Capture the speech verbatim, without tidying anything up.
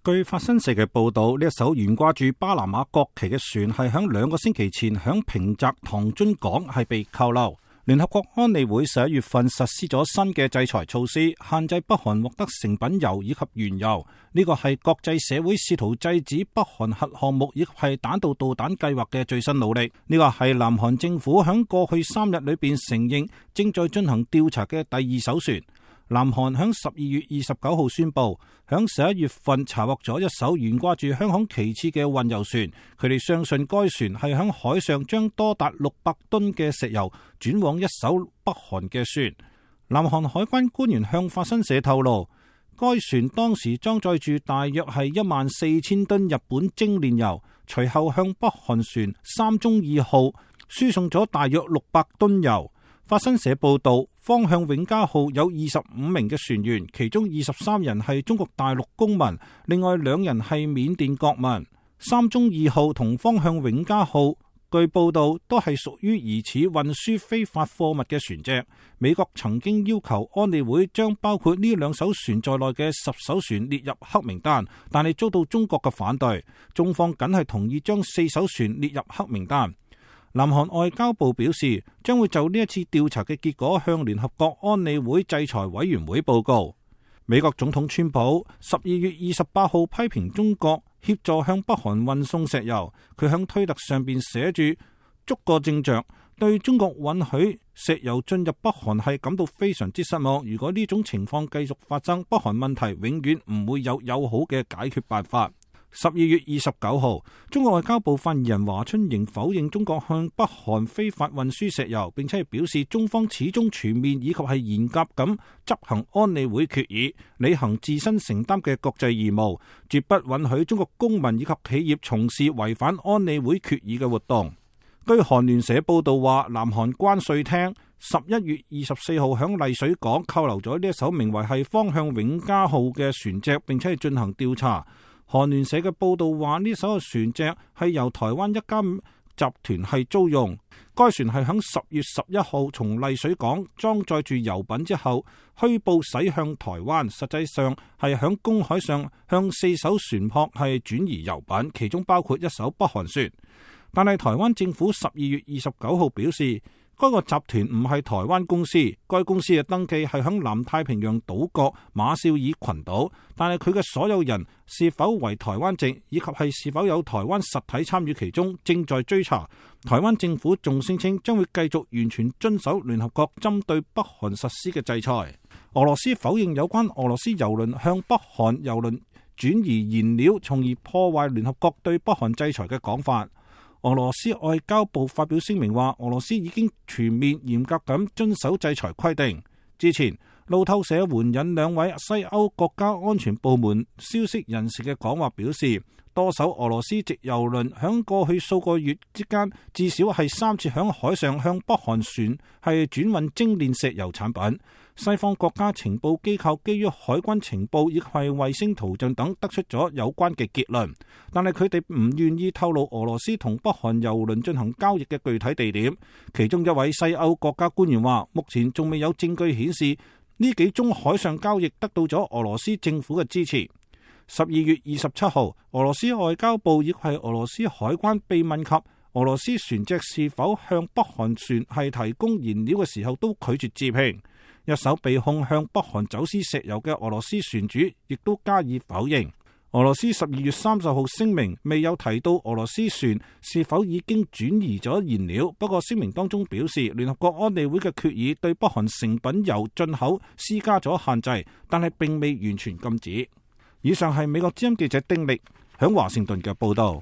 據法新社嘅報道，呢一艘懸掛住巴拿馬國旗嘅船係響兩個星期前響平澤唐津港係被扣留。聯合國安理會十一月份實施咗新嘅制裁措施，限制北韓獲得成品油以及原油。呢個係國際社會試圖制止北韓核項目以及係彈道導彈計劃嘅最新努力。呢個係南韓政府響過去三日裏邊承認正在進行調查嘅第二艘船。南韓響十二月二十九號宣布，響十一月份查獲咗一艘懸掛住香港旗幟嘅運油船。佢哋相信該船係響海上將多達六百噸嘅石油轉往一艘北韓嘅船。南韓海關官員向法新社透露，該船當時裝載住大約係一萬四千噸日本精煉油，隨後向北韓船三中二號輸送咗大約六百噸油。法新社報道，方向永嘉號有二十五名嘅船員，其中二十三人係中國大陸公民，另外兩人係緬甸國民。三中二號同方向永嘉號據報道都係屬於疑似運輸非法貨物嘅船隻。美國曾經要求安理會將包括呢兩艘船在內嘅十艘船列入黑名單，但係遭到中國嘅反對，中方僅係同意將四艘船列入黑名單。南韓外交部表示，將會就呢一次調查嘅結果向聯合國安理會制裁委員會報告。美國總統川普十二月二十八號批評中國協助向北韓運送石油，佢向推特上邊寫住逐個正着，對中國允許石油進入北韓係感到非常之失望。如果呢種情況繼續發生，北韓問題永遠唔會有友好嘅解決辦法。十二月二十九號，中國外交部發言人華春瑩否認中國向北韓非法運輸石油，並且表示中方始終全面以及係嚴格咁執行安理會決議，履行自身承擔嘅國際義務，絕不允許中國公民以及企業從事違反安理會決議嘅活動。據韓聯社報道話，南韓關稅廳十一月二十四號響麗水港扣留咗呢一艘名為係方向永嘉號嘅船隻，並且係進行調查。韓聯社嘅報道話，呢艘船隻係由台灣一間集團係租用。該船係響十月十一號從麗水港裝載住油品之後，虛報駛向台灣，實際上係響公海上向四艘船舶係轉移油品，其中包括一艘北韓船。但係台灣政府十二月二十九號表示，該個集團唔係台灣公司，該公司嘅登記係響南太平洋島國馬紹爾群島，但係佢嘅所有人是否為台灣籍，以及係是否有台灣實體參與其中，正在追查。台灣政府仲聲稱將會繼續完全遵守聯合國針對北韓實施嘅制裁。俄羅斯否認有關俄羅斯油輪向北韓油輪轉移燃料，從而破壞聯合國對北韓制裁嘅講法。俄羅斯外交部發表聲明話，俄羅斯已經全面嚴格咁遵守制裁規定。之前路透社援引兩位西歐國家安全部門消息人士嘅講話表示，多艘俄羅斯籍油輪響過去數個月之間，至少係三次響海上向北韓船係轉運精煉石油產品。西方國家情報機構基於海軍情報以及係衛星圖像等得出咗有關嘅結論，但係佢哋唔願意透露俄羅斯同北韓油輪進行交易嘅具體地點。其中一位西歐國家官員話，目前仲未有證據顯示呢幾宗海上交易得到咗俄羅斯政府嘅支持。十二月二十七號，俄羅斯外交部亦係俄羅斯海關被問及俄羅斯船隻是否向北韓船係提供燃料嘅時候，都拒絕置評。一艘被控向北韓走私石油嘅俄羅斯船主亦都加以否認。俄羅斯十二月三十號聲明未有提到俄羅斯船是否已經轉移咗燃料，不過聲明當中表示，聯合國安理會嘅決議對北韓成品油進口施加咗限制，但係並未完全禁止。以上係美國之音記者丁力響華盛頓嘅報道。